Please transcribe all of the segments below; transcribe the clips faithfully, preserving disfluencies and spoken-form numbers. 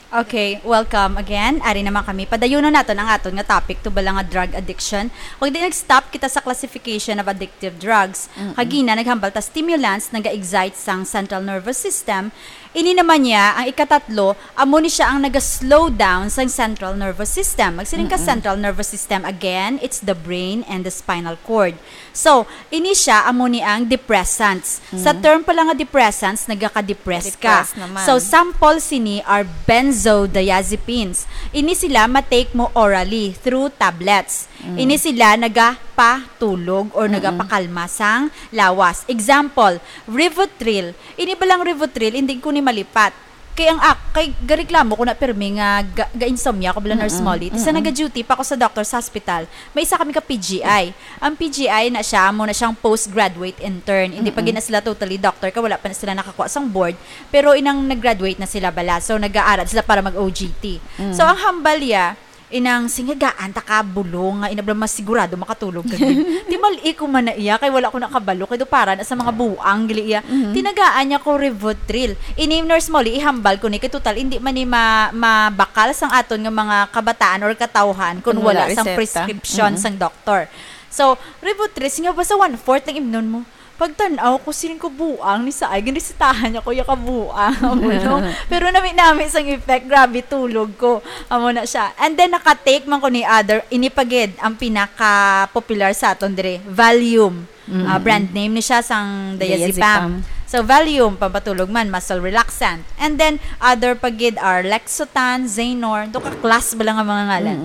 Okay, welcome again. Ari naman kami. Padayunon naton ang aton nga topic, to bala nga drug addiction. Kung di nag-stop kita sa classification of addictive drugs, kagina naghambal ta stimulants naga-excite sang central nervous system. Ini naman niya, ang ikatatlo, amo ni siya ang naga-slow down sang central nervous system. Magsiling ka central nervous system, again, it's the brain and the spinal cord. So, ini siya amo ni ang depressants. Sa term pala nga depressants, nagaka-depress ka. Depressed naman. So, sample sini are benzodiazepines. Ini sila ma-take mo orally through tablets. Ini sila nagapatulog or nagapakalma sang lawas. Example, Rivotril. Ini balang Rivotril, hindi ko ni malipat. Kay ang ak-, kay gareklamo ko na pirmi nga ga-, ga-insomnia ko, bala, Nurse Molly. Ti sa naga-duty pa ko sa doctor's hospital, may isa kami ka P G I. Ang P G I na siya, amo na siyang postgraduate intern. Hindi pa gina sila totally doctor, kay wala pa na sila nakakuha sang board. Pero inang nag-graduate na sila bala. So, nag-aaral sila para mag-O G T. So, ang hambal ya, inang singagaan ta ka bulong nga inabla masigurado makatulog ka gid. Ti mal-i ko man na iya, kay wala ko nakabalo, kay do para na sa mga buang, gali iya. Tinagaan niya ko Rivotril. Ini, Nurse Molly, ihambal ko ni, kay total, hindi man ni ma-, mabakal sang aton nga mga kabataan or katawhan kung Kung wala wala sang reseta. Prescription sang doktor. So, Rivotril, singa ba sa one-fourth lang imnon mo? Pagtan-aw ko, siling ko buang ni sa ay, ginresetahan niya ko ya ka buang, amo, no? Pero nami-nami sang effect, grabe, tulog ko. Amo na siya. And then, naka-take man ko ni other, ini pa gid ang pinaka-popular sa aton dire, Valium. Ah, brand name ni siya sang diazepam. Diazepam. So, Valium, pampatulog man, muscle relaxant. And then, other pa gid are Lexotan, Xanor, do ka class ba lang ang mga ngalan?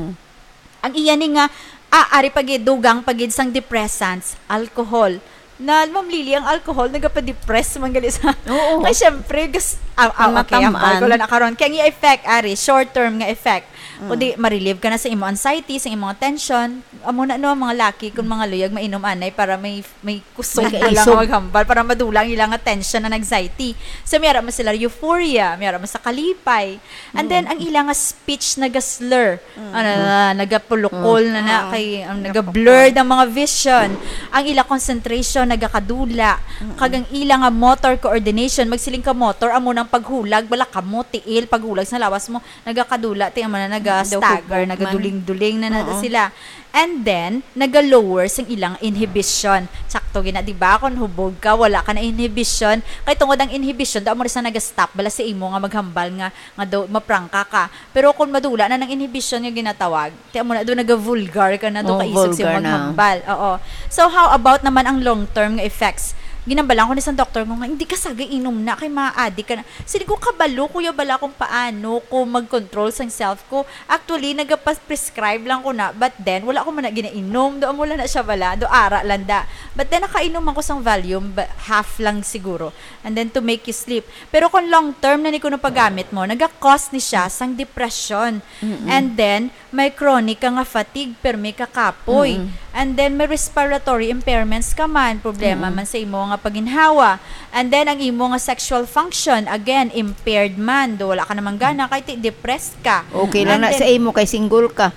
Ang iya ni nga, ah, ari pa gid, dugang pa gid sang depressants, alcohol. Na, Ma'am Lily, ang alcohol nagapa-depress man gali sa Oo. Kay syempre, gas-, ah, ah, Ang okay, ang matamaan. Alcohol na karon. Kaya ang iya effect, ari, short term nga effect. Kundi ma-relieve ka na sa imo anxiety, sa imo tension. Amo na, no, ang mga laki, kung mga luyag, mainom anay para may, may kusog May ka lang isog. Maghambal, para madula ang ilang tension and anxiety. So, may ara man sila euphoria, may ara man sa kalipay. And then, ang ilang speech nagaslur. Ano na, nagapulukol na na, kay ang nagablurred ang mga vision. Ang ila concentration nagakadula. Kag ang ila nga motor coordination, magsiling ka motor, amo nang paghulag, bala ka mo, tiil, paghulag sa lawas mo, nagakadula, ti amo na, naga-stagger, Daw hubog man. Nagaduling-duling na na Oo. Sila. And then, naga-lower sang ilang inhibition. Sakto gina, di ba? Kung hubog ka, wala ka na inhibition. Kay tungod ang inhibition, daw mo rin sa naga-stop, bala sa imo nga maghambal nga nga daw maprangka ka. Pero kung madula na ng inhibition nga ginatawag, ti amo na daw naga-vulgar ka na, daw Oh, kaisog siya vulgar na. Maghambal. Oo. So, how about naman ang long-term nga effects? Ginambalan ko ni sa doktor ko nga, "Hindi ka sagay inom na, kay maadik ka na." Sini ko kabalo, kuya, bala kung paano ko mag-control sang self ko. Actually, nagapas-prescribe lang ko na, but then, wala ko man na ginainom. Do amo lang na siya bala, do ara lang da. But then, nakainom ako sang Valium, ba-, half lang siguro. And then, to make you sleep. Pero kung long term na ni kuno paggamit mo, naga-cause ni siya sang depression. And then, may chronic ka nga fatigue, permi ka kapoy. And then, may respiratory impairments ka man, problema man sa imo nga paginhawa. And then, ang imo nga sexual function, again, impaired man. Do wala ka naman gana, kay ti-, depressed ka. Okay lang And na then, sa imo kay single ka.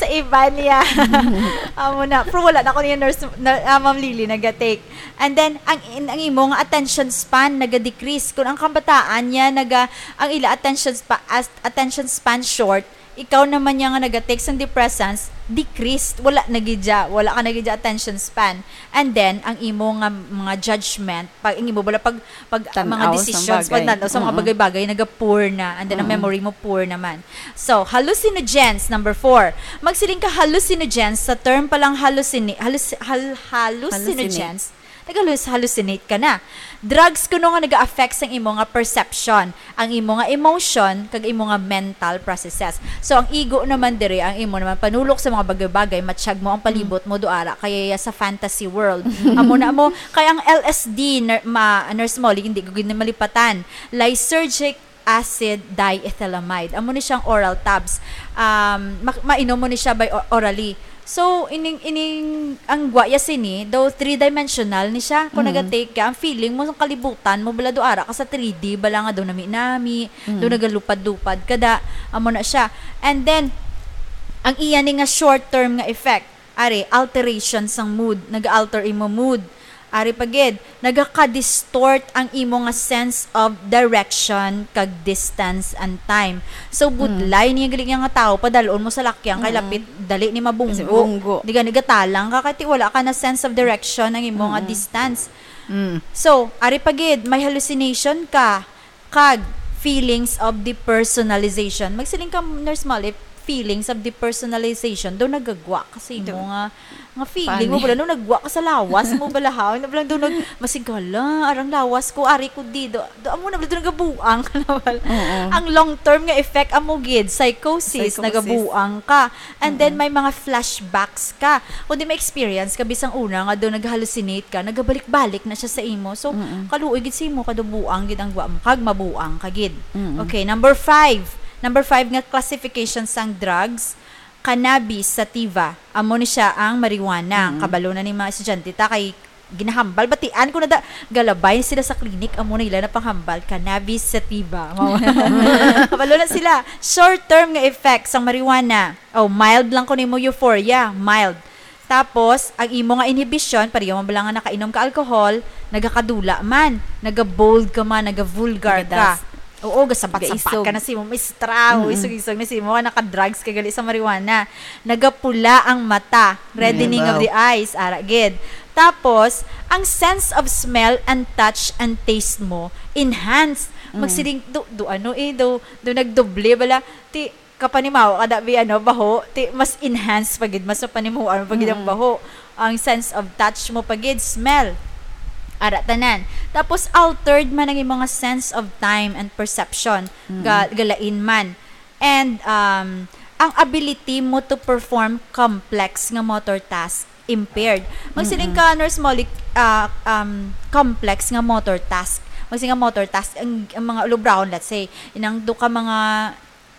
Sa iba niya. Amo na. Pero wala na ko niya nurse, na, ah, Ma'am Lily, naga-take. And then, ang, ang imo nga attention span naga-decrease. Kung ang kabataan niya, naga, ang ila attention spa-, as-, attention span short, ikaw naman niya nga naga-take sang depressants, decreased. Wala na gid siya. Wala ka na gid siya attention span. And then, ang imo nga mga judgment, pag, ang imo bala pag, pag Tan-aw mga sa decisions, bagay. Pag tan-aw sa mga Mm-mm. Bagay-bagay, naga-poor na. And then, ang Mm-mm. Memory mo poor naman. So, hallucinogens, number four. Magsiling ka hallucinogens, sa term pa lang hallucini-, halluci-, hal-, hallucinogens, Hallucinate. Nag-halluc-, hallucinate ka na. Drugs kuno nga naga-affect sa imo nga perception, ang imo nga emotion, kag imo nga mental processes. So, ang ego naman diri, ang imo naman panulok sa mga bagay-bagay, matsyag mo ang palibot mo, do ara, kaya sa fantasy world. Amo na mo, kay ang L S D, ner-, ma-, Nurse Molly, hindi ko gid na malipatan. Lysergic acid diethylamide. Amo ni siyang oral tabs. Um, ma-, mainom mo ni siya by o-, orally. So, ining, ining, ang guaya sini, daw three-dimensional ni siya. Kung Mm. Naga-take ka, ang feeling mo, ang kalibutan mo, bala do ara ka sa three D, bala nga daw nami-nami, Mm. daw nagalupad-lupad ka da, amo na siya. And then, ang iya ni nga short-term nga effect, ari, alteration sang mood, nag-alter imo mood. Ari pa gid, nagaka-distort ang imo nga sense of direction kag distance and time. So, budlay niya gali nga tawo, padalon mo sa lakyang kay lapit, dali ni mabunggo. Kasi bunggo. Di gani gatalang ka, kay wala ka na sense of direction ang imo nga distance. Mm. So, ari pa gid, may hallucination ka kag feelings of depersonalization. Magsiling ka, Nurse Molly, feelings of depersonalization. Daw nagagwa kasi mo nga, nga feeling mo bala, no, nagwa ka sa lawas mo bala, ha? Ano bala, daw nag-, masigala, arang lawas ko, ari ko di, do, do, amo na bala, daw nagabuang ka na bala. Oo. Ang long-term nga effect, amo gid, psychosis, psychosis, nagabuang ka. And then, may mga flashbacks ka. Kung di ma-experience ka, bisang una nga do nag-hallucinate ka, nagabalik-balik na siya sa imo. So, kaluoy gid sa imo, kadaw buang gid ang gwa mo, kag mabuang ka gid. Okay, number five. Number five nga classification sang drugs, cannabis sativa. Amo ni siya ang marijuana. Kabalo na ni mga estudyante ta kay ginahambal. Batian ko na da, galabay sila sa clinic, amo na ila na panghambal, cannabis sativa. Kabalo na sila. Short term nga effects sang marijuana. Oh, mild lang ko nimo euphoria, mild. Tapos, ang imo nga inhibition, pareho man bala nga nakainom ka alcohol, nagakadula man, nagabold ka man, nagavulgar ka. Nagadas. Oo, gasapat-sapat ka na sa imo, mistra, isog-isog na sa imo, nga naka-drugs ka gali sa marijuana. Nagapula ang mata, reddening of the eyes, ara gid. Tapos, ang sense of smell and touch and taste mo, enhance. Magsiling, do, do ano eh, do, do nagdoble bala. Ti, kapanimawa ka da bi, ano, baho, ti, mas enhance pa gid, mas mapanimuan pa gid ang baho. Ang sense of touch mo pa gid, smell. Ara tanan. Tapos altered man ang imong sense of time and perception. Ga-, galain man. And, um, ang ability mo to perform complex nga motor task impaired. Magsiling ka, Nurse Molly, ah, um, complex nga motor task. Magsiling ka motor task, ang, ang mga ulubrahon, let's say, inang do ka mga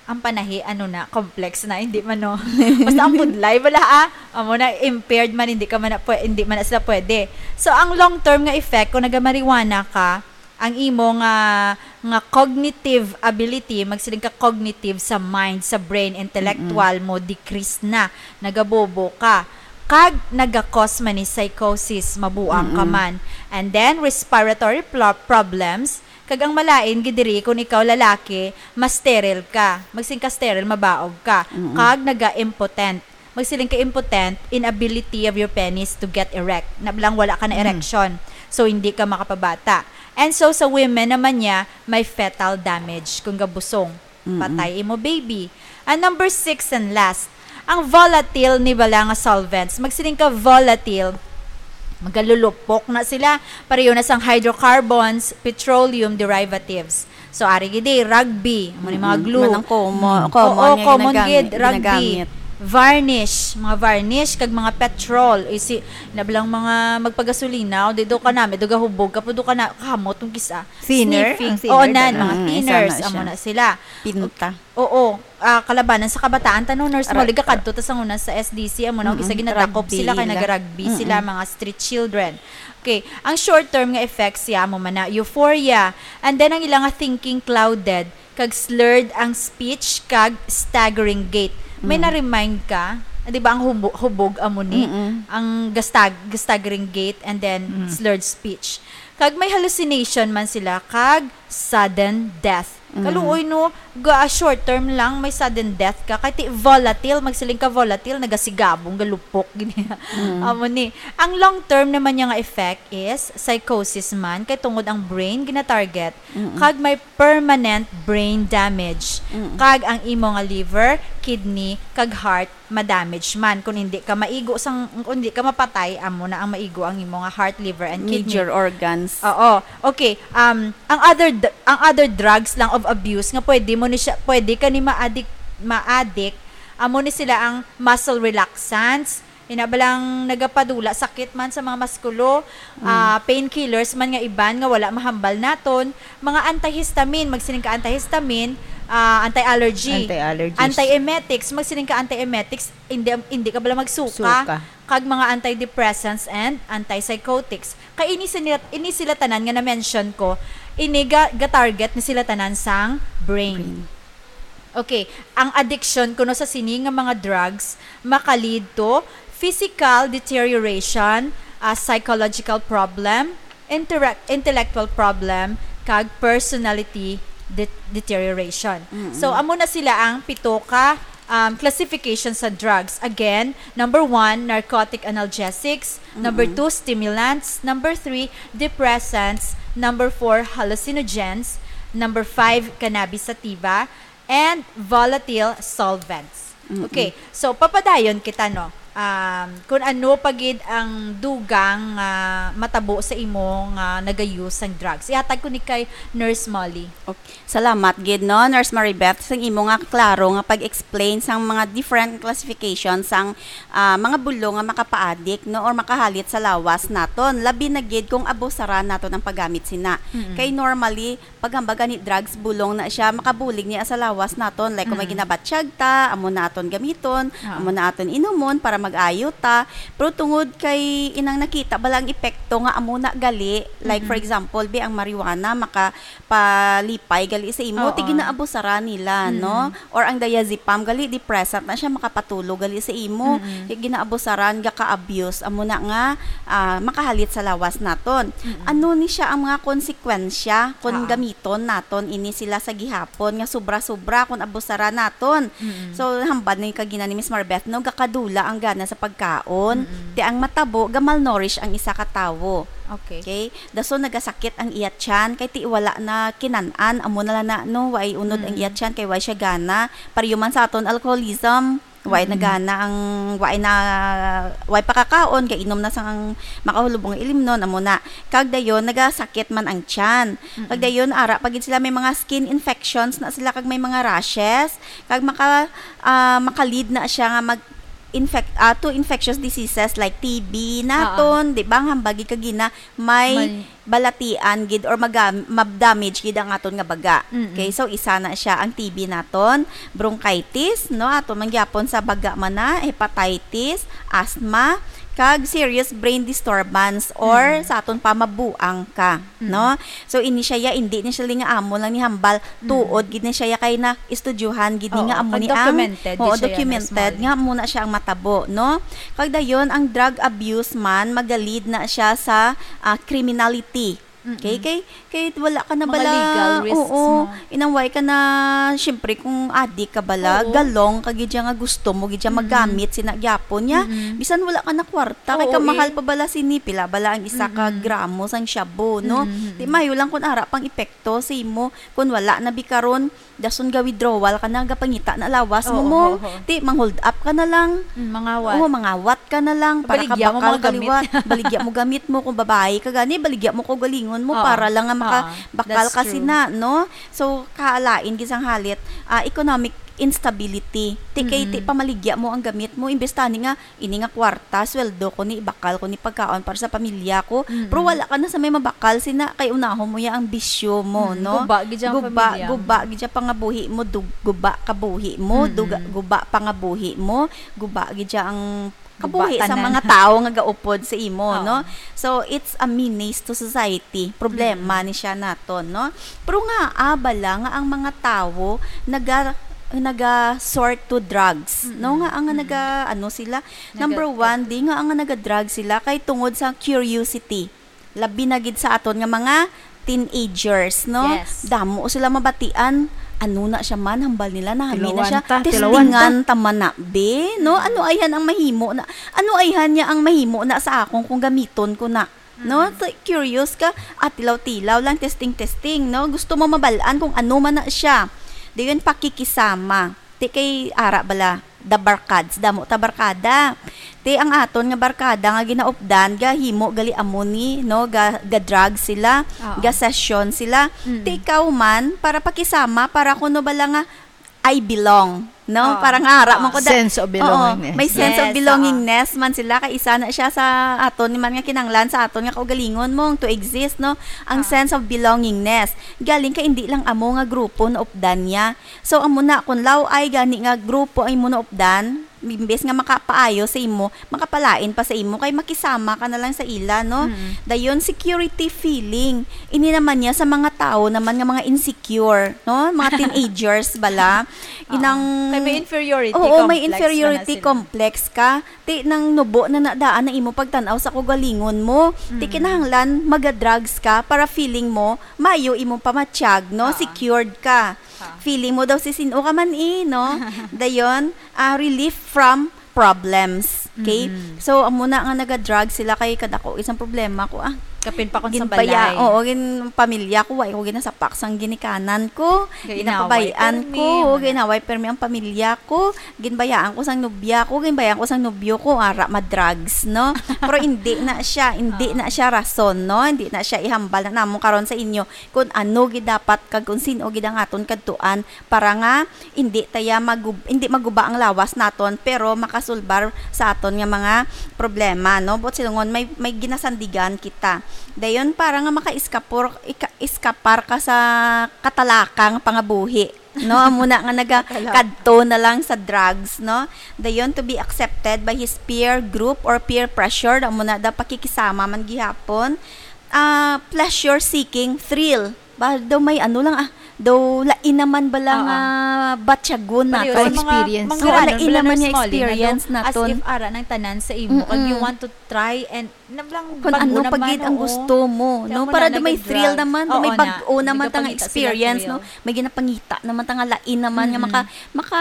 ang panahi, ano na, complex na, hindi man, no? Basta ang budlay, wala, ah. Amo na, impaired man, hindi ka man na pwe-, hindi man na sila pwede. So, ang long-term nga effect, kung nagamarijuana ka, ang imo nga, nga cognitive ability, magsiling ka cognitive sa mind, sa brain, intellectual mo, decrease na, nagabobo ka. Kag naga-cause man ni psychosis, mabuang ka man. And then, respiratory plo-, problems, kag ang malain gid diri, kung ikaw lalaki, ma-sterile ka. Magsiling ka sterile, mabaog ka. Kag naga-impotent. Magsiling ka impotent, inability of your penis to get erect. Nablang wala ka na erection. So, hindi ka makapabata. And so, sa women naman niya, may fetal damage kung gabusong. Patay imo baby. And number six and last, ang volatile ni bala nga solvents. Magsiling ka volatile, magalulupok na sila. Pareho na sang hydrocarbons, petroleum derivatives. So, ari gid eh, rugby, amo ni mga glue. Man ang common, common nga common gid, rugby. Varnish, mga varnish, kag mga petrol. Isi, nablang mga magpagasolina, o di do ka na, may do gahubog, kapo do ka na, kamot, kung kisa. Thinner? Sniffing. Oo, nan, mga thinners, amo na sila. Pinta. Oo, ah, kalabanan sa kabataan ta, no, Nurse Molly, gakadto ta sa una sa S D C, amo na, isa ginadakop sila kay naga-rugby sila, mga street children. Okay, ang short term nga effects siya, amo man na, euphoria, and then ang ilang nga thinking clouded, kag slurred ang speech, kag staggering gait. May na-remind ka, di ba, ang hubo-, hubog amo ni, ang gastag-, staggering gait, and then slurred speech. Kag may hallucination man sila, kag sudden death. Kaluoy, no, ga, short term lang, may sudden death ka. Kay ti volatile, magsiling ka volatile, nagasigabong, galupok, gini. Amo ni. Ang long term naman niya nga effect is psychosis man, kay tungod ang brain gina-target, kag may permanent brain damage, kag ang imo nga liver, kidney, kag heart ma-damage man. Kung hindi ka maigo sang, kung hindi ka mapatay, amo na ang maigo ang imo nga heart, liver, and kidney. Major organs. Oo. Okay. Um, ang other d-, ang other drugs lang of abuse nga pwede mo ni siya, pwede ka ni ma-addict, ma-addict, amo ni sila ang muscle relaxants, ina ba lang nagapadula sakit man sa mga maskulo, ah, painkillers man nga iban nga wala mahambal naton, mga antihistamine, magsiling ka antihistamine, ah, anti-allergy, anti-allergies, antiemetics, magsiling ka antiemetics, hindi, hindi ka bala magsuka, suka, kag mga antidepressants and antipsychotics. Kay ini sila, ini sila tanan nga na-mention ko, ini ga, ga-target ni sila tanan sang brain. Brain. Okay, ang addiction kuno sa sini nga mga drugs maka-lead to physical deterioration, ah, psychological problem, intellect- intellectual problem, kag personality de- deterioration. So, amo na sila ang pito ka um, classification sa drugs. Again, number one, narcotic analgesics. Number two, stimulants. Number three, depressants. Number four, hallucinogens. Number five, cannabis sativa. And volatile solvents. Okay, so papadayon kita, no? Um, kung ano pa gid ang dugang nga matabo sa imo nga nagayus sang drugs. Ihatag ko ni kay Nurse Molly. Okay. Salamat gid, no, Nurse Maribeth, sang imo nga klaro nga pag-explain sang mga different classification sang, ah, mga bulong nga makapaadik, no, or makahalit sa lawas naton. Labi na gid kung abusaran naton ang paggamit sina. Kay normally, paghambal gani drugs, bulong na siya, makabulig niya sa lawas naton. Like, kung may ginabatyag ta, amo na aton gamiton, amo na aton inumon para mag-ayo ta. Pero tungod kay inang nakita bala ang epekto nga amo na gali, like, for example, bi ang marijuana makapalipay gali sa imo, ti ginaabusaran nila, no? Or ang diazepam gali, depressant na siya, makapatulog gali sa imo. Ti ginaabusaran, gaka-abuse, amo na nga, ah, makahalit sa lawas naton. Ano ni siya ang mga konsekwensya kun gamiton naton ini sila sa gihapon nga sobra-sobra, kun abusaran naton? So, hambal ni kagina ni Miss Marbeth, no, gakadula ang gana sa pagkaon. Ti ang matabo, ga-malnourish ang isa ka tawo. Okay. Okay? Dason nagasakit ang iya tiyan, kay ti wala na kinan-an, amo na lang na, no, way unod ang iya tiyan, kay way siya gana. Pareho man sa aton alcoholism, way na gana ang, way na, way pakakaon, kay inom na sang makahulubong nga ilimnon, amo na. Kag dayon, nagasakit man ang tiyan. Kag dayon, ara pa gid sila, may mga skin infections na sila, kag may mga rashes, kag maka, ah, maka-lead na siya nga mag infect, ah, to infectious diseases like T B naton, di ba? Ang hambal gid kagina, may balatian gid or maga-, ma-damage gid ang aton nga baga. Okay, so isa na siya ang T B naton, bronchitis, no? Aton man gyapon sa baga man na, hepatitis, asthma, kag serious brain disturbance or sa aton pa mabuang ka, no? So ini siya ya, indi ni siya li nga amo lang ni hambal, tuod gid ni siya ya kay na-estudyohan gid ni nga amo ni ang, oo, documented nga amo na siya ang matabo, no? Kag dayon, ang drug abuse man, magalid na siya sa, ah, criminality. Okay, kay, kay wala ka na bala, legal risks, oo, no? Inang way ka na, syempre, kung adik ka bala, galong ka gid siya nga gusto mo gid siya magamit sina gyapon niya. Bisan wala ka na kwarta, kay kamahal pa bala sini, pila bala ang isa ka gramo sang shabu, no? Di mayo lang kung ara pang epekto sa imo, kung wala na bi karon, dason ga-withdrawal ka na, gapangita na lawas mo mo. Oo, oo. Ti, mang-hold up ka na lang. Mm, mangawat. Oo, mangawat ka na lang para ka bakal ka liwat. Baligya mo gamit mo. Kung babayi ka gani, baligya mo kaugalingon mo para lang nga makabakal ka sina, no? So, kalain gid sang halit, ah, economic instability. Ti kay ti pamaligya mo ang gamit mo, imbes tani nga ini nga kwarta, sweldo ko ni, ibakal ko ni pagkaon para sa pamilya ko. Pero wala ka na sa may mabakal sina, kay unahon mo ya ang bisyo mo, no? Guba gid ya ang pamilya mo. Guba gid ya pangabuhi mo, dug-, guba kabuhi mo, duga-, guba pangabuhi mo, guba gid ya ang kabuhi sa mga tawo nga gaupod sa imo, no? So, it's a menace to society. Problema ni siya naton, no? Pero nga, ah, bala nga ang mga tawo naga-, naga-sort to drugs, no? Nga ang naga-, ano sila, Number one, di nga ang naga-drug sila kay tungod sa curiosity. Labi na gid sa aton nga mga teenagers, no? Yes. Damo sila mabatian. Ano na siya man, hambal nila, nahami na siya. Tilawan ta, tilawan ta. Testingan ta man na, be, no? Ano ayhan ang mahimo na, ano ayhan niya ang mahimo na sa akon kung gamiton ko na? No? So, curious ka, ah, tilaw-tilaw lang, testing-testing, no? Gusto mo mabal-an kung ano man na siya. Dayon, pakikisama. Ti kay ara bala, the barkads, damo ta barkada. Ti ang aton nga barkada nga ginaupdan, gahimo gali amo ni, no, ga, ga-drug sila, ga-session sila. Ti ikaw man, para pakisama, para kuno bala nga, "I belong," no? Para nga ara man ko da-, sense of belongingness. Oo, may sense of belongingness man sila, kay isa na siya sa aton ni man nga kinahanglan sa aton nga kaugalingon mong to exist, no? Ang sense of belongingness. Galing kay indi lang amo nga grupo naupdan niya. So, amo na, kung law-ay gani nga grupo ang imo naupdan, imbes nga makapaayo sa imo, makapalain pa sa imo, kay makisama ka na lang sa ila, no? Mm. Dayon, security feeling. Ini naman niya sa mga tao naman nga mga insecure, no? Mga teenagers bala. Oo. Inang Kay may inferiority Oo, may complex na inferiority na sila. complex ka. Ti nang nubo na nadaan ang imo pagtan-aw sa kaugalingon mo. Ti Mm. kinahanglan maga-drugs ka para feeling mo mayo imong pamatyag, no? Oo. Secured ka. Oo. Feeling mo daw si sin-o ka man, eh, no? Dayon, ah, relief from problems. Okay? Mm-mm. So, amo na nga naga-drug sila kay kadako isang problema ko, ah. Kapin pa kung sa Ginbaya-, balay. Oo, gin-, pamilya ko, wa ko ginasapak sang ginikanan ko. Ginapabayaan ko, ginaway permi ang pamilya ko. Ginbayaan ko sang nobya ko, ginbayaan ko sang nobyo ko, ara, ma-drugs, no? Pero hindi na siya, hindi Oo. na siya rason, no? Hindi na siya ihambal na namon karon sa inyo kung ano gid dapat kag kung sin-o gid ang aton kadtuan para nga hindi taya magub-, hindi maguba ang lawas naton, pero makasulbar sa aton nga mga problema, no? Buot silingon, may, may ginasandigan kita. Dayon, para nga makaiskapor-, ika-, iskapar ka sa katalakang pangabuhi, no? Amo na nga naga-, Katalakang. kadto na lang sa drugs, no? Dayon, to be accepted by his peer group or peer pressure, amo na daw pakikisama man gihapon. Ah, pleasure seeking, thrill. Ba, daw may ano lang, ah, daw lain naman bala Oo. nga batyagon Pareho nato. Or sa mga experience. Oo, manggaran, lain wala naman nga nurse Molly, nga experience daw, as naton. if ara nang tanan sa imo, kag you Mm-mm. want to try and nablang Kung bago ano pa naman, gid ang oo. gusto mo, Kaya no? mo Para na daw may nag-drugs. thrill naman, daw Oo may na. bag-o Hindi naman ka tang pangita sila experience, thrill. no? May ginapangita naman ta nga lain naman nga Mm-mm. maka-, maka-,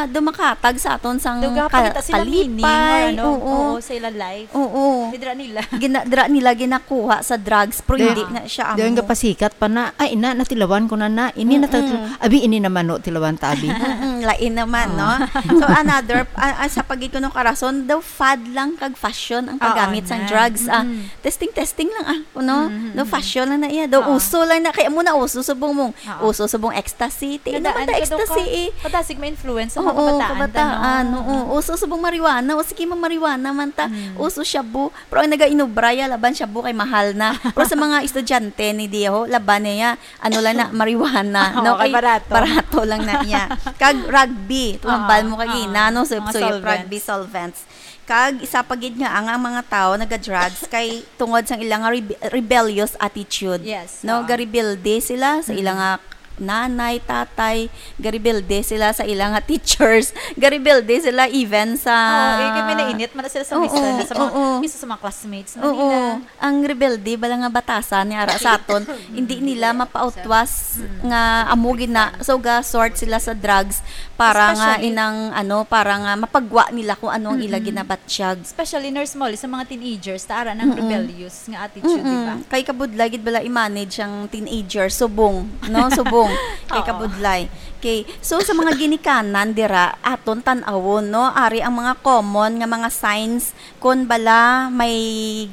daw makatag sa aton sang Daw ka-, gapangita sila meaning or kalipay. ano, Oo. oo, sa ila life. Oo. Di dira nila. Gina-, dira nila ginakuha sa drugs, pero Then, hindi na siya then amo. gapasikat pa na, "Ay, ina, natilawan ko na na. Ini na Mm-mm. tatlo. Abi, ini naman, no, tilawan ta, abi." Mm-mm, lain naman, Oh. no? So, another, ah, ah, sa pagid ko no karason, daw fad lang kag fashion ang Oo, paggamit sang na. drugs. Ah, Mm-mm. testing, testing lang, ah, no? Mm-mm. Daw fashion lang na iya. Daw Oo. uso lang na. Kaya mo na uso, subong mong, Oo. uso, subong ecstasy. Ti, Nadaan naman ta ka daw ecstasy, ka. eh. Padasig ma-influence sa mga Oo, kabataan ta, kabataan, no? oo. Uso, subong marijuana. O, sige, ma-marijuana man ta. Mm. Uso shabu. Pero ang nagainubra ya laban shabu kay mahal na. Pero sa mga estudyante ni Diho, laban niya, ano lang na, marijuana, Oo, no? kay Kay barato. barato lang na iya. Kag rugby, tumambal Oo, mo kagina, oo. no? So, Mga so yung solvents. rugby solvents. Kag isa pa gid nga ang, ang mga tao naga-drugs kay tungod sang ilang rebe-, rebellious attitude. Yes, No, oo. garebelde sila sa Mm. ilang nga nanay, tatay, garebelde sila sa ilang nga teachers, garebelde sila even sa Oo, eh, kay may nainit man na sila sa Oo, mister na sa mga, oo. isa sa mga classmates na Oo. nila. Ang rebelde bala nga batasan ni ara sa aton, hindi nila mapautwas Mm. nga amo gid na. So, ga-sort sila sa drugs para nga Especially inang, ano, para nga mapagwa nila kung ano ang ila Mm-mm. ginabatyag. Especially, Nurse Molly, sa mga teenagers, ta ara nang Mm-mm. rebellious nga attitude, di ba? Mm-mm. Kay kabudlay gid bala i-manage ang teenager, subong, no? Subong. Kay Oo. kabudlay. Okay. So, sa mga ginikanan dira, aton tan-awon, no? Ari ang mga common nga mga signs kon bala may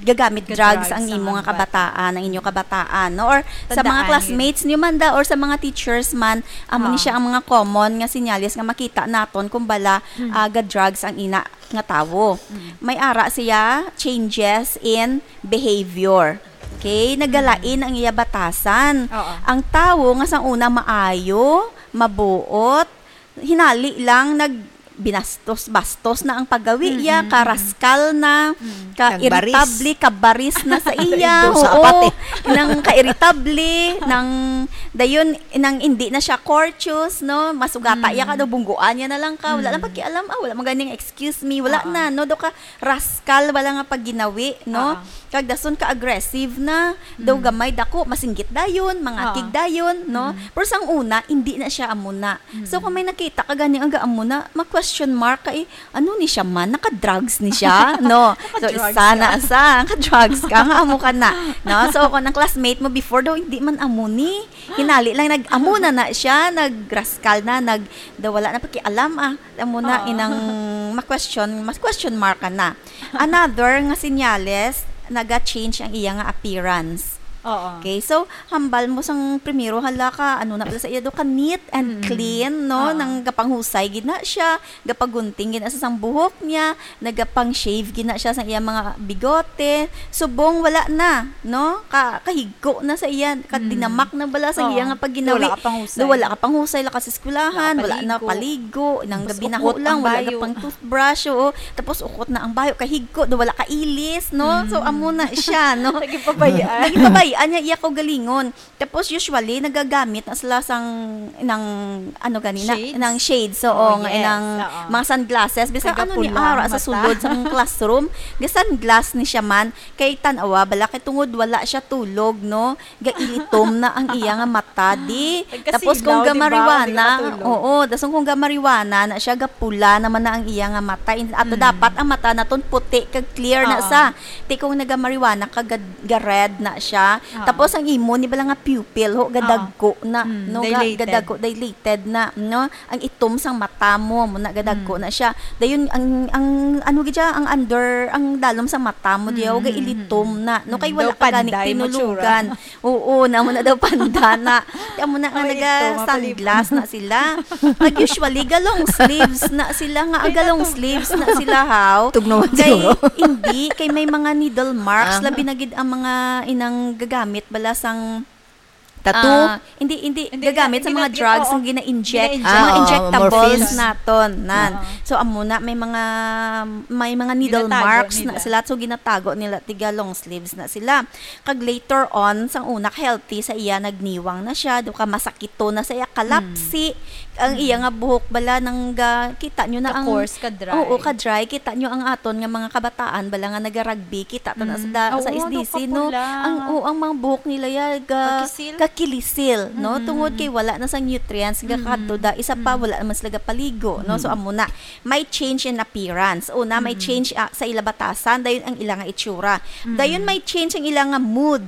gagamit drugs Ga-drugs ang ang imo nga bata. kabataan, ang inyo kabataan, no? Or sa mga Tandaan classmates niyo man da, or sa mga teachers man, amo ni Ah. siya ang mga common nga senyales nga makita naton kung bala, Hmm. ah, ga-drugs ang ina nga tawo. Hmm. May ara siya changes in behavior. Okay? Nagalain Hmm. ang iya batasan. Oo. Ang tawo nga sa una maayo, mabuot, hinali lang nag-, binastos-bastos na ang paggawi iya, Mm-mm. karaskal na, Mm. ka-irritable, kabaris na sa iya. Indo sa Oo. apat eh. Nang ka-irritable, nang dayon, nang hindi na siya courteous, no? Masugata iya ka, Mm. daw bungguan niya na lang ka. Wala lang Mm. pakialam, ah, wala man ganing excuse me, wala Oo. na, no? Daw ka raskal, wala nga pagginawi, no? Oo. Kag dason ka-aggressive na, daw Mm. gamay, dako, masinggit dayon, mangakig Oo. dayon, no? Mm. Pero sang una, hindi na siya amo na. So, Mm. kung may nakita ka gani nga amo na, ma-question mark ka, eh, "Ano ni siya man? Naka-drugs ni siya?" No? So, Naka-drugs isa na, ka. isa, naka-drugs ka, nga amo ka na. No? So, kung ang classmate mo before daw, hindi man amo ni, hinali lang, nag-amo na na siya, nagraskal na, nag-, daw wala na pakialam, ah. Amo na, Oo. inang ma-question, mas question mark ka na. Another nga senyales, naga-change ang iya nga appearance. Oo. Okay, so, hambal mo sang primero, hala ka, ano na pala sa iya do, ka neat and Mm. clean, no? Oo. Nang gapanghusay gid na siya, gapagunting gid na sa sang buhok niya, nagapang-shave gid na siya sa iya mga bigote. Subong wala na, no? Ka, kahigko na sa iya, Mm. kadinamak na bala sa Oo. iya nga pagginawi. Wala ka panghusay. Do, wala ka panghusay, lakas eskwelahan, wala na Nakapaligo. paligo, nang Tapos gabi na ukot lang, ang wala bayo. na pang toothbrush, oo. Tapos ukot na ang bayo, kahigko, do wala ka ilis, no? Mm. So, amo na siya, no? Nagipabayaan. Nagipabayaan niya iya kaugalingon. Tapos, usually, nagagamit na sila sang, ng, ano gani na, Shades? ng shades, oo, Oh, nga, yes. ng Oo. mga sunglasses. Bisan ano ni Kagapula ara ang sa mata. sulod sa classroom, ga-sunglass ni siya man. Kay tan-awa, bala, kay tungod wala siya tulog, no? Gailitom na ang iya nga mata, di. Nagkasilaw, Tapos kung di ba? Hindi gamariwana, makatulog. oo, dason kung gamariwana na siya, gapula naman na ang iya nga mata. In-, ato Mm. dapat ang mata naton puti kag clear na Oo. sa. Ti kung nagamariwana ka, ga-, ga-red na siya. Oo. Tapos ang imo ni bala nga pupil, ho, Oo. gadagko na, Mm, no? Ga-, dilated. gadagko, dilated na, no? Ang itom sang mata mo, mo na gadagko Mm. na siya. Dayon ang, ang ano gid siya, ang under, ang dalom sa mata mo diya, Mm, ga-ilitom mm, na, no? mm. Kay Daw wala ka gani panday mo, tsura. tinulugan. Oo, namo na daw panda na. Ti amo na nga Ay, ito, naga-sunglass mapalibot. na sila. Pag usually, ga-long sleeves na sila nga, Ay, ga-long natog- sleeves na sila, haw. Tugnawan Kay, siguro. hindi, kay may mga needle marks, Ah. labi na gid ang mga inang gagamit bala sang, Tattoo? ah, hindi, hindi, Hindi, gagamit sa hindi mga na-, drugs oo. ang gina-inject, Gina-inject. mga Ah, injectables morphines. naton, nan. Oo. So, amo na, may mga, may mga needle Ginatago marks na nila. sila, so ginatago nila, tiga long sleeves na sila. Kag later on, sang una, healthy sa iya, nagniwang na siya, do ka masakito na sa iya, kalapsi. Mm. Ang iya Mm. nga buhok bala nang ga-, kita nyo na ang Ka-coarse, ka-dry. Oo, ka-dry. Kita nyo ang aton nga mga kabataan bala nga naga-rugby, kita ta na sa Mm. da-, sa Oo, S D C, no? nagpapula. Ang, oo, ang mga buhok nila ya, ga-, Kakilisil. kakilisil, no? Mm. Tungod kay wala na sang nutrients, Mm. gakadto da. Isa pa, Mm. wala naman sila gapaligo, no? So, Mm. amo na. May change in appearance. Una, may Mm. change, ah, sa ila batasan, dayon ang ila nga itsura. Mm. Dayon may change ang ila nga mood.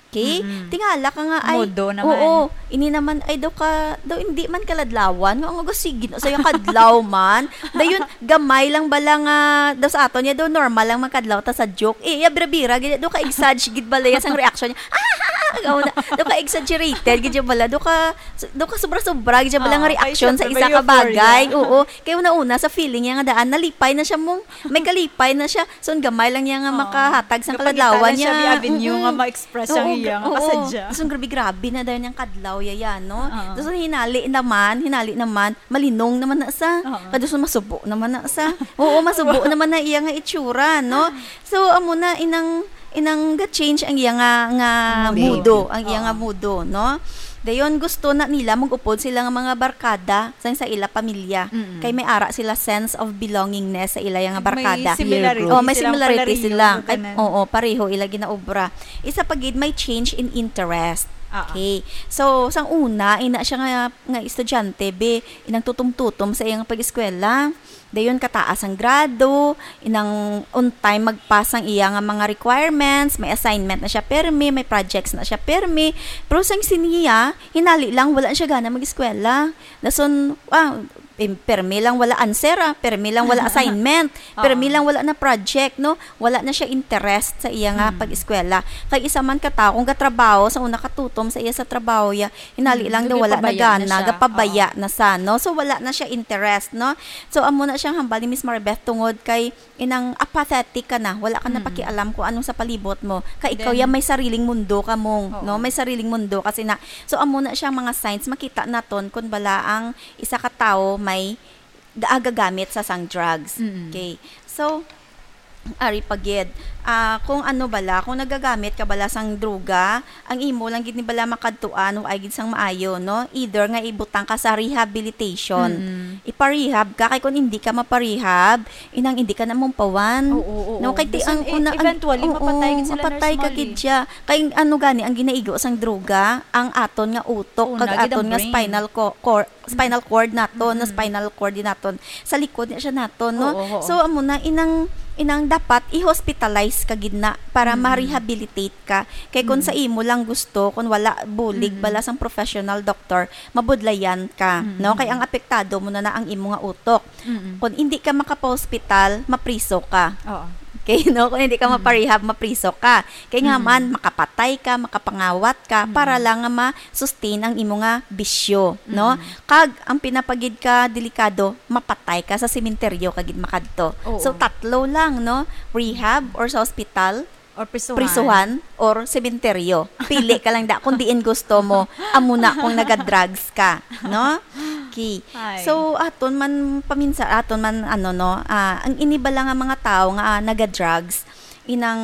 Okay? Mm-mm. Tingala ka nga, ay, Mudo naman. oo, ini naman, ay, daw ka, daw hindi man kaladlawan, nga, nga, sige, no, sa yung kadlaw man. Dayon, gamay lang bala nga, daw sa aton niya, daw normal lang magkadlaw ta sa joke. Eh, iya, bira-bira, gid, daw ka exag-, gid bala yan sang reaction niya. Ah, ah, ah, ah, daw ka exaggerated, gid bala, daw ka, daw ka sobra-sobra, gid bala nga Oo, kay reaction sa syempre, isa may ka bagay. euphoria. Oo, kay una-una, sa feeling niya nga daan, nalipay na siya mong, may kalipay na siya. So, ang gamay lang niya nga Oo. makahatag sang Kapangita kaladlawan lang siya, niya. may avenue nga Mm-mm. ma-express ang Oo, iya nga oo. kasadya. So, grabe-grabe na dayon yung kadlaw, yaya, no? Oo. So, hinali naman, hinali naman, malinong naman na sa. Oo. Kado sa masubo naman na sa. Oo, masubo naman na iya nga itsura, no? So, amo na, inang, inang ga-change ang iya nga, nga Mood. mudo, ang iya Oo. nga mudo, no? Dayon, gusto na nila mag-upod sila nga mga barkada sa, sa ila pamilya. Mm-mm. Kay may ara sila sense of belongingness sa ila nga May barkada. similarity Oh, may silang similarity palareho sila. sa Kay, tanan. oo, pareho ila ginaobra. Isa pa gid, may change in interest. Ah, ah. Okay. So, sang una, ina siya nga, nga estudyante, be, inang tutom-tutom sa iyang pag-eskwela. Dayon, kataas ang grado, inang on time mag-pass ang iya nga mga requirements, may assignment na siya permi, may projects na siya permi. Pero sang siniya, hinali lang, wala siya gana mag-eskwela. Dason, ah, em, permi lang wala answer, ah. Permi lang wala assignment. Oo. Permi lang wala na project, no? Wala na siya interest sa iya nga Mm. pag-eskwela. Kay isa man ka tawo, kung gatrabaho, sa una katutom sa iya sa trabaho, ya, hinali Mm, lang daw wala na gapabaya na gana, siya. gapabaya Oo. na sa, no? So, wala na siya interest, no? So, amo na siyang hambal ni Miss Maribeth tungod kay inang apathetic ka na, wala ka na Mm. pakialam kung anong sa palibot mo. Kay ikaw Then ya may sariling mundo ka mong, Oo. no? May sariling mundo kasi na. So, amo na siya mga signs, makita naton kung bala ang isa ka tawo may gaagagamit sa sang drugs. Mm. Okay. So, ari pa gid. Ah, kung ano bala, kung nagagamit ka bala sang droga, ang imo lang gid ni bala makadtuan o ay gid sang maayo, no? Either nga ibutang ka sa rehabilitation. Mm. Ipa-rehab ka, kay kung hindi ka mapa-rehab, inang hindi ka na mumpawan. Oo, oo, No, oo. kay ti-, Basta ang e-, una, ang, eventually, oo, mapatay gid sila, mapatay Nurse ka Molly. gid siya. Kay ano gani, ang ginaigo sang droga, ang aton nga utok, Una, kag gid ang aton nga brain. spinal co-, cor-, spinal cord naton, no, Mm. spinal cord din naton. Sa likod niya siya naton, no? Oo, oo. So, amo na, inang, inang dapat i-hospitalize ka gid na para Mm. ma-rehabilitate ka. Kay kung Mm. sa imo lang gusto, kung wala bulig Mm. bala sang professional doctor, mabudlayan ka, Mm. no? Kay ang apektado mo na na ang imo nga utok. Mm. Kung hindi ka makapa-hospital, mapriso ka. Oo. Kay, no, kung hindi ka Mm. maparehab, mapriso ka. Kay nga man, Mm. makapatay ka, makapangawat ka, para Mm. lang nga ma-sustain ang imo nga bisyo, no? Mm. Kag ang pinapagid ka delikado, mapatay ka sa sementeryo ka gid makadto. So, Oo. tatlo lang, no? Rehab or sa hospital, Or prisuhan. prisuhan, or sementeryo. Pili ka lang da kung diin gusto mo. Amo na kung naga-drugs ka, no? Okay. Ay. So, aton man paminsan, aton man, ano, no, ah, ang ini bala nga mga tao nga, ah, naga-drugs, inang,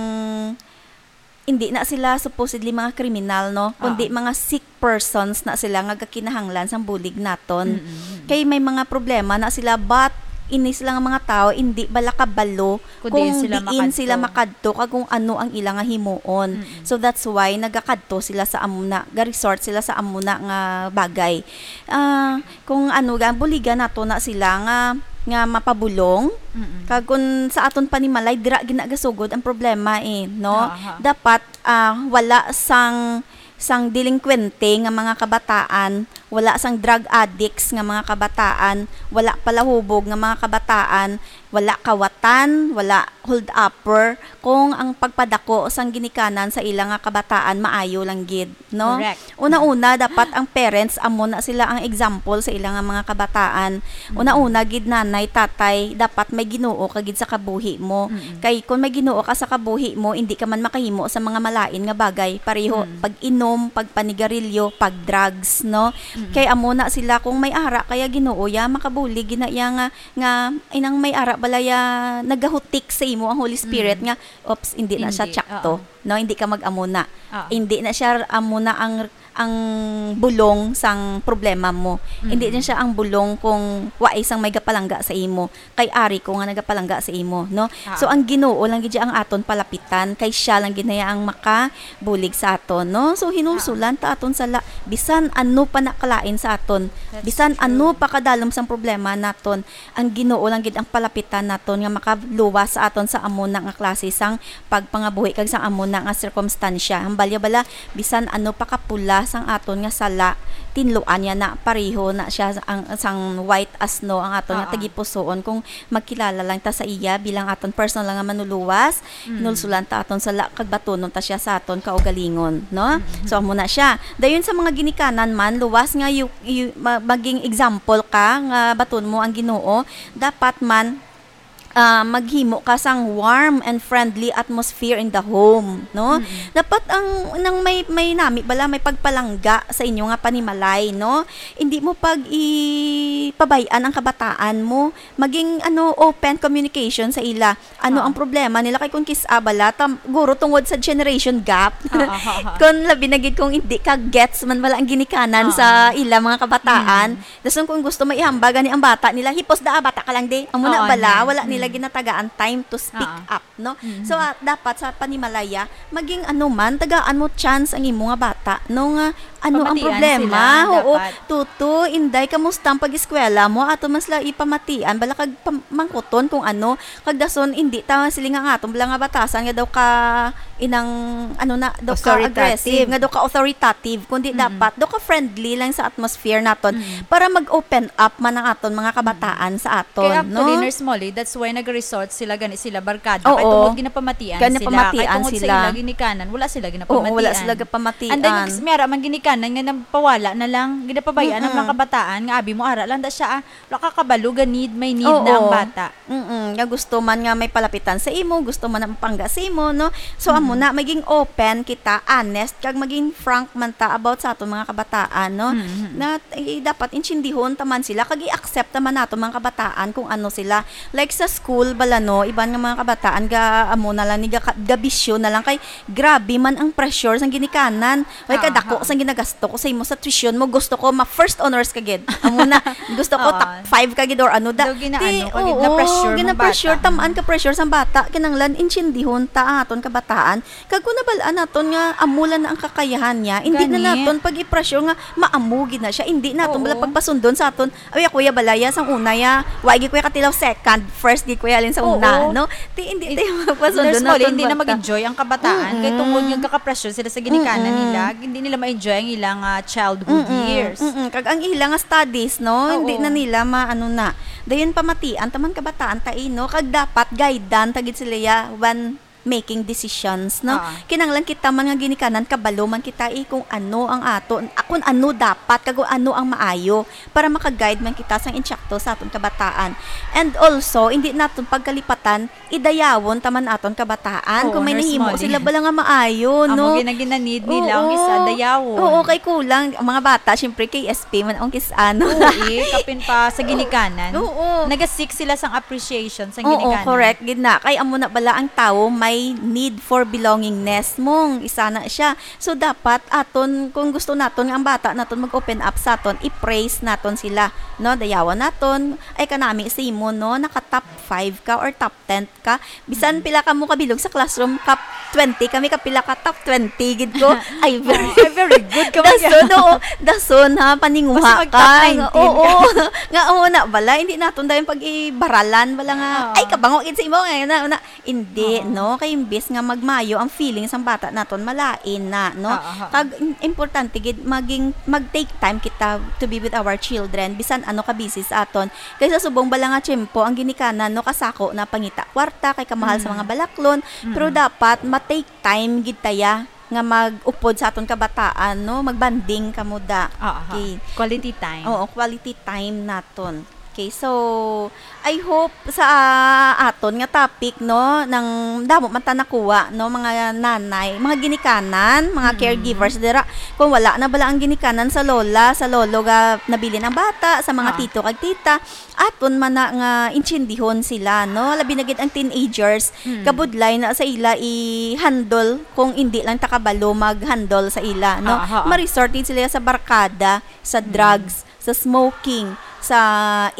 hindi na sila supposedly mga kriminal, no? Kundi Oo. mga sick persons na sila nga gakinahanglan sang bulig naton. Mm-mm. Kay may mga problema na sila, but ini sila nga mga tao, hindi bala kabalo Kung kung diin sila diin sila makadto. Makadto kag kung ano ang ila nga himuon. Mm-mm. So that's why nagakadto sila sa amuna, ga-resort sila sa amuna nga bagay. Ah, kung ano ga, buligan nato na sila nga, nga mapabulong. Mm-mm. Kag kung sa aton panimalay, dira ginagasugod ang problema eh, no? Aha. Dapat, ah, wala sang, sang delinkwente nga mga kabataan, wala sang drug addicts nga mga kabataan, wala palahubog nga mga kabataan, wala kawatan, wala hold upper, kung ang pagpadako sang ginikanan sa ila nga kabataan maayo lang gid, no? Correct. Una-una, dapat ang parents amo na sila ang example sa ila nga mga kabataan. Mm. Una-una gid, nanay, tatay, dapat may Ginoo ka gid sa kabuhi mo. Mm-mm. Kay kung may Ginoo ka sa kabuhi mo, hindi ka man makahimo sa mga malain nga bagay, pareho Mm. pag-inom, pagpanigarilyo, pag-drugs, no? Mm-mm. Kay amo na sila, kung may ara kaya Ginoo ya, makabulig gina iya nga, nga inang may ara balaya nagahutik sa imo ang Holy Spirit Mm. nga, "Oops, hindi na siya Hindi, tsakto." Oo. No, hindi ka mag-amuna. Oo. Hindi na siya amuna ang, ang bulong sang problema mo. Hindi Mm. na siya ang bulong kung wa isang may gapalangga sa imo. Kay ari ko nga nagapalangga sa imo, no? Ah. So, ang Ginoo lang gid ang aton palapitan, kay siya lang gid na ang makabulig sa aton, no? So, hinulsulan ta aton sala, bisan ano pa na kalain sa aton, That's bisan ano true. Pa kadalom sang problema naton, ang Ginoo lang gid ang palapitan naton nga makaluwas sa aton sa amo na nga klase sang pagpangabuhi kag sa amo na nga sirkumstansya. Ang balya bala, bisan ano pa kapula sang aton nga sala, tinluan niya na, pareho na siya ang, sang white as snow ang aton nga Oo. tagipusoon kung magkilala lang ta sa iya bilang aton personal nga manuluwas. Mm. Hinulsulan ta aton sala kag batunon ta siya sa aton kaugalingon, no? Mm-hmm. So, amo na siya. Dayon sa mga ginikanan man, luwas nga yu-, yu-, ma-, maging example ka nga baton mo ang Ginoo, dapat man, ah, maghimo ka sang warm and friendly atmosphere in the home, no? Mm-mm. Dapat ang, nang may, may nami bala, may pagpalangga sa inyo nga panimalay, no? Hindi mo pag ipabay-an ang kabataan mo. Maging, ano, open communication sa ila. Ano ang problema nila? Kay kung kis-a bala, tam-, guro tungod sa generation gap. Ah, ah, ah, ah. Kung labi na gid kung hindi ka gets man bala ang ginikanan sa ila mga kabataan. Mm. Dason kung gusto mo ihambal gani ang bata nila, hipos da, ah, bata ka lang di. Amo na bala, wala nila ginatagaan time to speak up, no? Mm. So, ah, dapat sa panimalaya, maging ano man, tagaan mo chance ang imo nga bata, no, nga ano ang problema. Pamatian sila, dapat. Oo, Tuto, Inday, kamusta ang pag-eskwela mo? Ato man sila ipamatian, bala kag pam-, mangkuton kung ano. Kag dason, hindi ta siling nga aton bala nga batasan nga daw ka inang, ano na, daw ka aggressive, nga daw ka authoritative, kundi dapat daw ka friendly lang sa atmosphere naton para mag-open up man ang aton mga kabataan sa aton, no? Kay actually, Nurse Molly, that's why nag-resort sila, gani sila barkada. Kay tungod ginapamatian sila. Kay tungod sa ila ginikanan, wala sila ginapamatian. Oo, wala sila gapamatian. And then, may ara man ginikanan nga nagpawala na lang, ginapabayaan ang mga kabataan nga abi mo ara lang da siya, ah, wala ka kabalo, ga need, may need na ang bata. Mm-mm. Nga gusto man nga may palapitan sa imo, gusto man ang pangga sa imo, no? So, amo na, maging open kita, honest, kag maging frank man ta about sa aton mga kabataan, no? Mm-hmm. Na, eh, dapat intindihon ta man sila, kag i-accept ta man nato mga kabataan kung ano sila. Like sa school, bala, no? Iban nga mga kabataan, ga, amo na lang, ni ga, gabisyo na lang, kay grabe man ang pressure sang ginikanan. Ay, kadako sang ginagasto ko sa imo sa tuition mo. Gusto ko ma-first honors ka gid. Amo na, gusto ko top five ka gid or ano da. Daw ginaano ka gid, na-pressure mo bata. Gina-pressure, tamaan ka pressure sang bata. Kinahanglan intindihon ta ang aton kabataan. Kag kung nabal-an naton nga amo lang na ang kakayahan niya, hindi na naton pag-i-pressure nga maamo gid na siya. Hindi naton bala pagpasundon sa aton Ay, ako ya balaya sang una ya. Wa gid ko ya katilaw second, first gid ko ya halin sa una, no? Ti, hindi tayo magpasundo na. Nurse Molly, hindi na mag-enjoy ang kabataan. Kay tungod nga gaka-pressure sila sa ginikanan nila, hindi nila ma-enjoy ang ilang, ah, childhood years. Mm-mm. Kag ang ilang studies, no? Hindi na nila ma-, ano na. dayon pamatian ta man kabataan ta, eh, no? Kag dapat guidean ta gid sila ya when making decisions, no? Ah. Kinahanglan kita man nga ginikanan, kabalo man kita, eh, kung ano ang ato, ah, kung ano dapat, kag kung ano ang maayo, para maka-guide man kita sang insakto sa aton kabataan. And also, hindi naton pagkalipatan, idayawon ta man aton kabataan. Oo, Kung may Nurse nahimo Molly. sila bala nga maayo, Amo no? gina-, gina-need nila ang Oo. isa, dayawon. Oo, kay kulang. Ang mga bata, syempre, K S P man ang kis-, ano. Oo, eh, kapin pa sa ginikanan. Oo. Naga-seek sila sang appreciation sa Oo, ginikanan. correct gid na. Kay amo na bala ang tawo may need for belongingness. Mong isa na siya. So, dapat aton, kung gusto naton nga ang bata naton mag-open up sa aton, i-praise naton sila, no? Dayawan naton, "Ay, kanami si mo, no? Naka top five ka or top ten ka. Bisan Mm. pila ka mo kabilog sa classroom, top twenty kami, kapila ka top twenty gid ko." Ay, very Oh, ay, very good ka man. Dason, oo. Dason, ha, paninguha Basta mag top ka. nineteen Oo. ka. Nga, oo na bala, hindi naton dayon pag-ibaralan bala nga, Oo. "Ay, kabango gid sa imo." Ay, na, na, hindi, Oo. no? Kay imbis nga magmayo ang feelings sang bata naton, malain na, no? Oo, oo. Kag im-, importante gid maging, mag-take time kita to be with our children, bisan ano ka busy sa aton. Kay sa subong bala nga tiyempo, ang ginikanan, no, kasako na pangita kwarta, kay kamahal sa Mm. mga balaklon, pero Mm. dapat ma-take time gid taya nga mag-upod sa aton kabataan, no? Magbanding kamo da. Ah, aha. Okay. Quality time. Oo, quality time naton. Okay, so, I hope sa, ah, aton nga topic, no, nang damo man ta nakuha, no, mga nanay, mga ginikanan, mga Mm. caregivers dira. Kung wala na bala ang ginikanan sa lola, sa lolo nga nabilin ang bata, sa mga Ah. tito kag tita, aton man na nga intsindihon sila, no? Labi na gid ang teenagers, Mm. kabudlay na sa ila i-handle kung indi lang ta kabalo mag-handle sa ila, no? Ah, aha. Ma-resort gid sila sa barkada, sa Mm. drugs, sa smoking, sa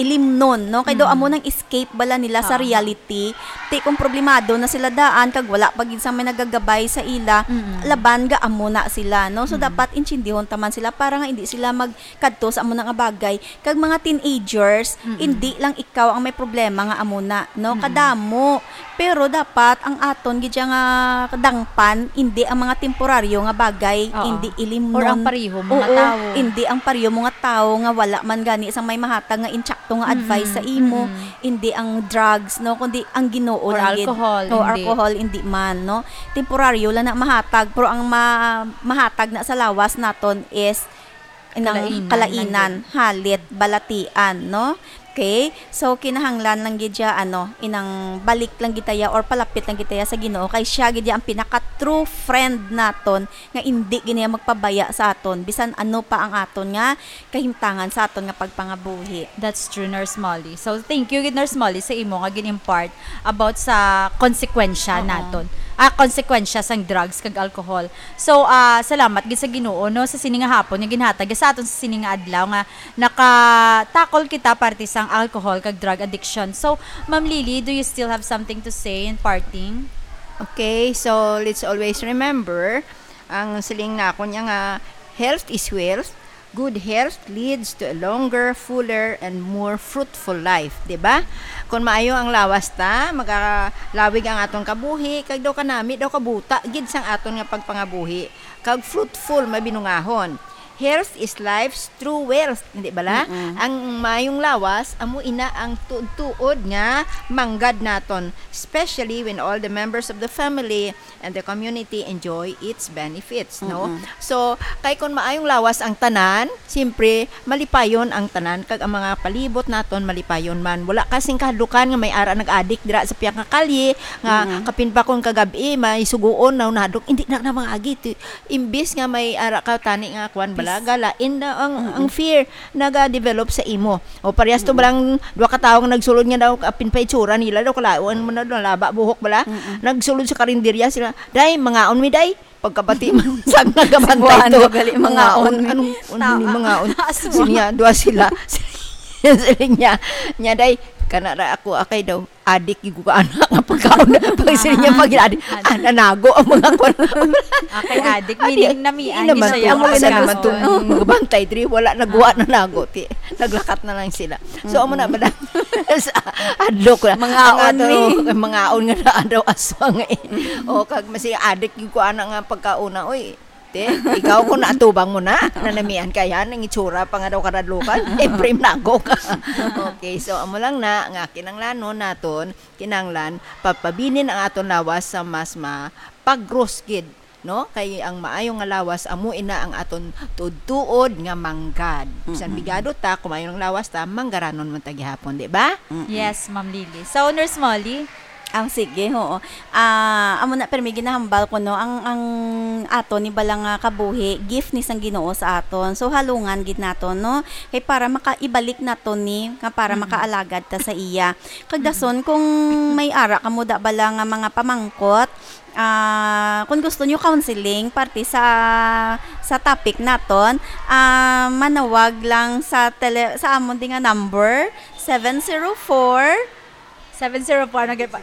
ilimnon, no? Kay daw Mm. amo nang escape bala nila sa Ah, aha. reality. Ti kung problemado na sila daan, kag wala pa gid sa may nagagabay sa ila, Mm. laban ga amo na sila, no? So, Mm. dapat intsindihon ta man sila para nga indi sila magkadto sa amo na nga bagay. Kag mga teenagers, Mm-mm. indi lang ikaw ang may problema nga amo na, no? Mm-mm. Kadamo. Pero dapat ang aton gid siya nga kadangpan, indi ang mga temporaryo nga bagay, Oo. indi ilimnon. Or ang pareho mo nga Oo, tawo. indi ang pareho mo nga tawo nga wala man gani sang may mahatag nga insakto nga advice Mm-mm. sa imo, Mm-mm. indi ang drugs, no, kundi ang Ginoo Or lang gid. alcohol, O hindi. alcohol, indi man, no? Temporaryo lang na mahatag, pero ang ma-, mahatag na sa lawas naton is inang Kalainan lang kalainan, gid. halit, balatian, no? Okay? So, kinahanglan lang gid siya, ano, inang balik lang gid taya or palapit lang gid taya sa Ginoo, kay siya gid ang pinaka true friend naton nga indi gid niya magpabaya sa aton, bisan ano pa ang aton nga kahimtangan sa aton nga pagpangabuhi. That's true, Nurse Molly. So, thank you gid, Nurse Molly, sa imo nga gin-impart about sa konsekwensya Oo. naton. Ah, konsekwensya sang drugs kag alcohol. So, ah, salamat gid sa Ginoo, no, sa sini nga hapon nga ginhatag sa aton sa sini nga adlaw nga nakatakol kita parte sang alcohol kag drug addiction. So, Ma'am Lily, do you still have something to say in parting? Okay, so let's always remember ang siling nako niya nga, "Health is wealth." Good health leads to a longer, fuller, and more fruitful life, di ba? Kung maayo ang lawas ta, magalawig ang aton kabuhi, kag daw kanami daw kabuta gid sang aton nga pagpangabuhi, kag fruitful, mabinungahon. Health is life's true wealth, hindi bala? Mm-mm. Ang maayong lawas, amo ina ang tuod-tuod nga manggad naton, especially when all the members of the family and the community enjoy its benefits, no? Mm-mm. So, kay kun maayong lawas ang tanan, siyempre, malipayon ang tanan, kag ang mga palibot naton malipayon man. Wala kasing kahadlukan nga may ara nag-adik dira sa pihak nga kalye, nga Mm-mm. kapin pa kun kagab-i, may suguon na nahadlok, hindi na, na mga agi. Ti-, imbis nga may ara ka tani nga kuan bala, Peace. galain na ang, Mm-mm. ang fear naga-develop sa imo. O, parehas to Mm. balang duha ka tawo nga nagsulod nga daw, apin pa itsura nila daw, kalawan mo na daw, laba, buhok bala. Mm-mm. Nagsulod sa karinderya sila, "Day, mangaon mi, day." Pagkabati man sa nagabantay Cebuano to, gali, "Mangaon, mangaon mi. anong, ano Tama. ni mangaon?" Aswang. Siya, duha sila. Siling niya, niya, "Day, kana ra ako, akay daw, adik, yung kukaan nga pagkaon." Pag siling niya, pag adik, ah, nanago ang mga kwan. Ah, kay adik, Adi, meaning namian, hindi naman gid siya to, yung ano naman pagkaon. to, yung bantay diri, wala, naguha, Ah. nanago, ti, naglakat na lang sila. So, amo na, Mm-mm. madam, sa adlok na. Mangaon Ang ato, mi. mangaon nga na, ano, aswang, eh. Mm-mm. O, kag masi adik, yung kuhaan nga pagkaon na, oy, Te, ikaw kung naatubang mo na, nanamian ka yan, ang itsura pa nga daw karadlukan, Efraim Nagok. Okay, so amo lang na, nga kinanglanon naton, kinanglan, papabilin ang aton lawas sa mas mapagros gid, no? Kay ang maayo nga lawas, amo ina ang aton tuod-tuod nga manggad. Bisan Mm-mm. bigado ta, kung maayo ang lawas ta, manggaranon man ta gihapon, di ba? Mm-mm. Yes, Ma'am Lily. So, Nurse Molly? Ang sige, oo. Ah, amo na, permi ginahambal ko, no, ang, ang ato ni bala nga kabuhi, gift ni sang Ginoo sa aton. So, halungan gid nato, no? Kay para makaibalik nato ni, nga para Mm-mm. makaalagad ta sa iya. Kag Mm-mm. dason, kung may ara kamo da bala nga mga pamangkot, ah, kung gusto nyo counseling, parte sa, sa topic naton, ah, manawag lang sa tele-, sa amon di nga number, seven zero four, Seven zero four, ano gyud pa?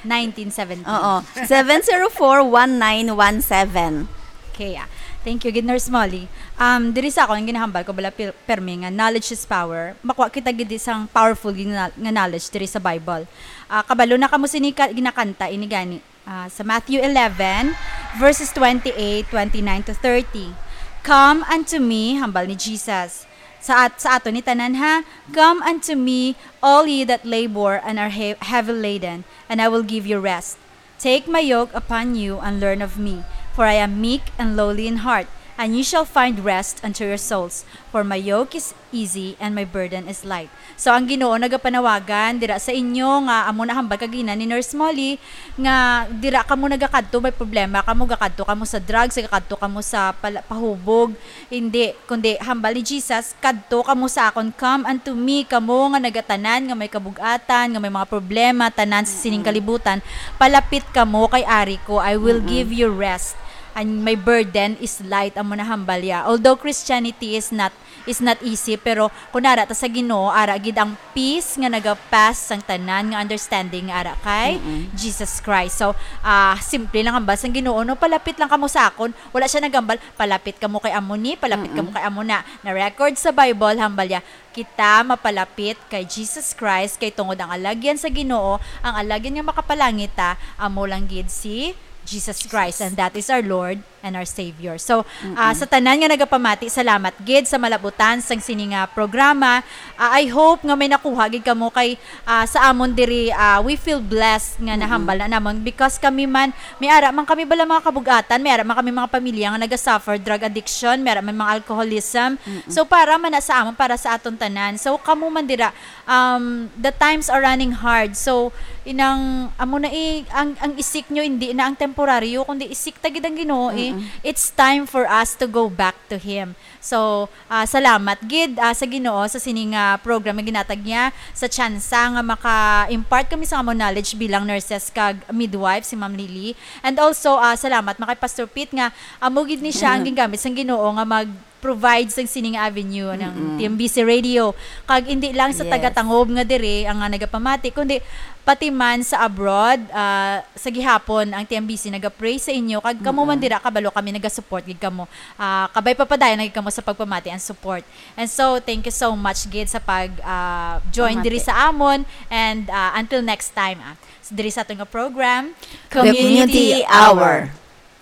Nineteen seventeen. Oo. Seven zero four, one nine one seven. Okay, ah. Thank you gid, Nurse Molly. Um, diri sa akon, ang ginahambal ko bala pil-, permi nga knowledge is power. Makuha kita gid sang powerful gid nga, nga knowledge diri sa Bible. Ah, kabalo na kamo sini ka, ginakanta ini gani. Ah, sa Matthew eleven, verses twenty-eight, twenty-nine to thirty. "Come unto me," hambal ni Jesus. Sa at-, sa ato ni tanan, ha? "Come unto me, all ye that labor and are he-, heavy laden, and I will give you rest. Take my yoke upon you and learn of me, for I am meek and lowly in heart, and you shall find rest unto your souls. For my yoke is easy and my burden is light." So, ang Ginoo nagapanawagan dira sa inyo nga amo na hambal kagina ni Nurse Molly nga dira kamo nagakadto, may problema kamo, gakadto kamo sa drugs, gakadto kamo sa pala-, pahubog, hindi, kundi hambal ni Jesus, "Kadto kamo sa akon, come unto me, kamo nga nagatanan, nga may kabug-atan, nga may mga problema, tanan sa sining Mm-mm. kalibutan, palapit kamo kay ari ko, I will Mm-mm. give you rest, and my burden is light," amo na hambal ya. Although Christianity is not, is not easy, pero kung ara ta sa Ginoo, ara gid ang peace nga nagapas sang tanan nga understanding nga ara kay Mm-mm. Jesus Christ. So, ah, simple lang hambal sang Ginoo, no? "Palapit lang kamo sa akon." Wala siya nagambal, "Palapit kamo kay amo ni, palapit kamo Mm-mm. kay amo na." Na-record sa Bible, hambal ya, kita mapalapit kay Jesus Christ, kay tungod ang alagyan sa Ginoo, ang alagyan nga makapalangit ta, amo lang gid si Jesus Christ, Jesus. And that is our Lord and our Savior. So, ah, Mm-mm. sa tanan nga nagapamati, salamat gid sa malabutan sang sini nga programa. Ah, I hope nga may nakuha gid kamo kay, ah, sa amon diri, ah, we feel blessed nga Mm-mm. nahambal na namon because kami man, may ara man kami bala mga kabug-atan, may ara man kami mga pamilya nga naga-suffer drug addiction, may ara man mga alcoholism. Mm-mm. So, para man na sa amon, para sa aton tanan. So, kamo man dira, um, the times are running hard. So, inang, amo na i-, ang, ang isik nyo, hindi na ang temporaryo, kundi isik ta gid ang Ginoo, eh. Mm-mm. It's time for us to go back to Him. So, ah, salamat gid, ah, sa Ginoo sa sining, ah, program nga ginatag niya, sa tsansa nga maka-impart kami sa amon knowledge bilang nurses kag midwife, si Ma'am Lily. And also, ah, salamat man kay Pastor Pete nga amo gid ni siya ang Mm-mm. gingamit sang Ginoo nga mag-provide sang sining avenue ng Mm-mm. T M B C Radio. Kag hindi lang sa Yes. taga-Tangob nga diri ang, ah, nagapamati, kundi pati man sa abroad, ah, sa gihapon ang T M B C naga-pray sa inyo. Kag kamo man Mm-mm. dira, kabalo kami, naga-support gid kamo. Ah, kabay pa padayon na gid kamo sa pagpamati and support. And so, thank you so much gid sa pag, ah, join Pamati. diri sa amon. And, ah, until next time, ah, diri sa aton nga program, The Community Community Hour. Hour.